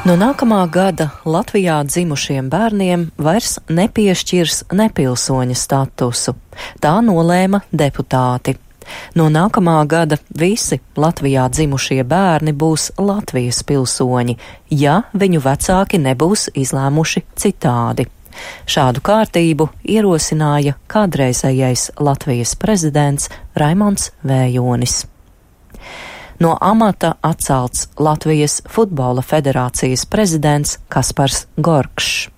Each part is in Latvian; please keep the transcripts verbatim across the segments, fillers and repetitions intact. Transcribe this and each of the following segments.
No nākamā gada Latvijā dzimušiem bērniem vairs nepiešķirs nepilsoņa statusu. Tā nolēma deputāti. No nākamā gada visi Latvijā dzimušie bērni būs Latvijas pilsoņi, ja viņu vecāki nebūs izlēmuši citādi. Šādu kārtību ierosināja kādreizējais Latvijas prezidents Raimonds Vējonis. No amata atcelts Latvijas Futbola federācijas prezidents Kaspars Gorkšs.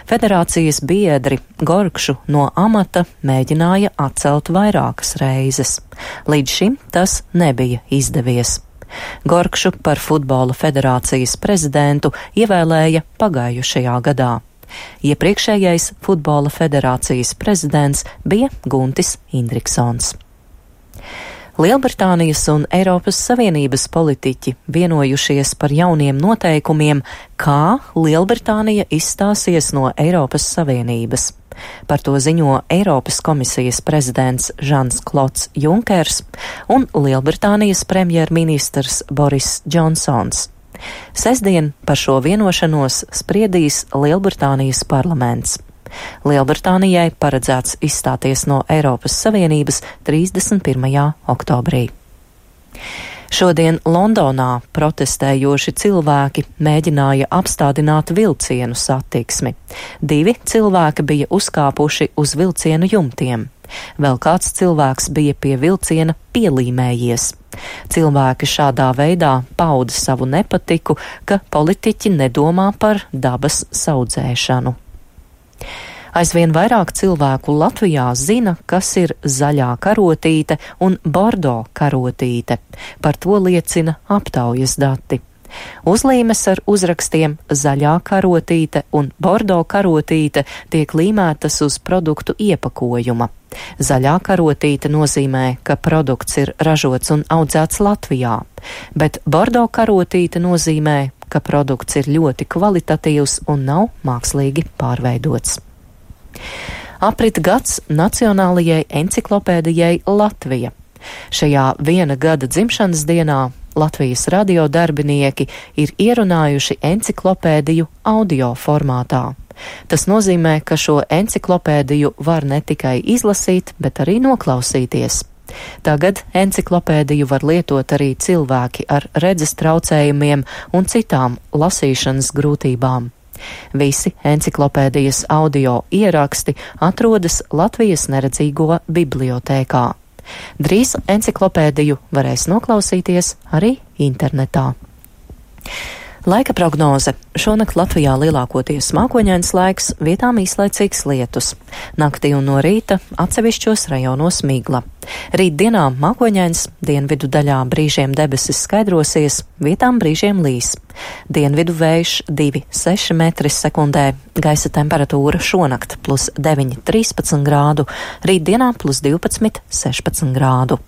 Federācijas biedri Gorkšu no amata mēģināja atcelt vairākas reizes. Līdz šim tas nebija izdevies. Gorkšu par Futbola federācijas prezidentu ievēlēja pagājušajā gadā. Iepriekšējais Futbola federācijas prezidents bija Guntis Indriksons. Lielbritānijas un Eiropas Savienības politiķi vienojušies par jauniem noteikumiem, kā Lielbritānija izstāsies no Eiropas Savienības. Par to ziņo Eiropas komisijas prezidents Žans Klods Junkers un Lielbritānijas premjerministrs Boris Džonsons. Sestdien par šo vienošanos spriedīs Lielbritānijas parlaments. Lielbritānijai paredzēts izstāties no Eiropas Savienības trīsdesmit pirmajā oktobrī. Šodien Londonā protestējoši cilvēki mēģināja apstādināt vilcienu satiksmi. Divi cilvēki bija uzkāpuši uz vilcienu jumtiem. Vēl kāds cilvēks bija pie vilciena pielīmējies. Cilvēki šādā veidā pauda savu nepatiku, ka politiķi nedomā par dabas saudzēšanu. Aizvien vairāk cilvēku Latvijā zina, kas ir zaļā karotīte un bordo karotīte. Par to liecina aptaujas dati. Uzlīmes ar uzrakstiem zaļā karotīte un bordo karotīte tiek līmētas uz produktu iepakojuma. Zaļā karotīte nozīmē, ka produkts ir ražots un audzēts Latvijā, bet bordo karotīte nozīmē, ka produkts ir ļoti kvalitatīvs un nav mākslīgi pārveidots. Aprit gads Nacionālajai enciklopēdijai Latvija. Šajā viena gada dzimšanas dienā Latvijas radio darbinieki ir ierunājuši enciklopēdiju audio formātā. Tas nozīmē, ka šo enciklopēdiju var ne tikai izlasīt, bet arī noklausīties. Tagad enciklopēdiju var lietot arī cilvēki ar redzes traucējumiem un citām lasīšanas grūtībām. Visi enciklopēdijas audio ieraksti atrodas Latvijas neredzīgo bibliotēkā. Drīz enciklopēdiju varēs noklausīties arī internetā. Laika prognoze. Šonakt Latvijā lielākoties mākoņains laiks, vietām īslaicīgs lietus. Naktī un no rīta atsevišķos rajonos migla. Rīt dienā mākoņains, dienvidu daļā brīžiem debesis skaidrosies, vietām brīžiem līs. Dienvidu vējš divi seši metri sekundē, gaisa temperatūra šonakt plus deviņi trīspadsmit grādu, rīt dienā plus divpadsmit sešpadsmit grādu.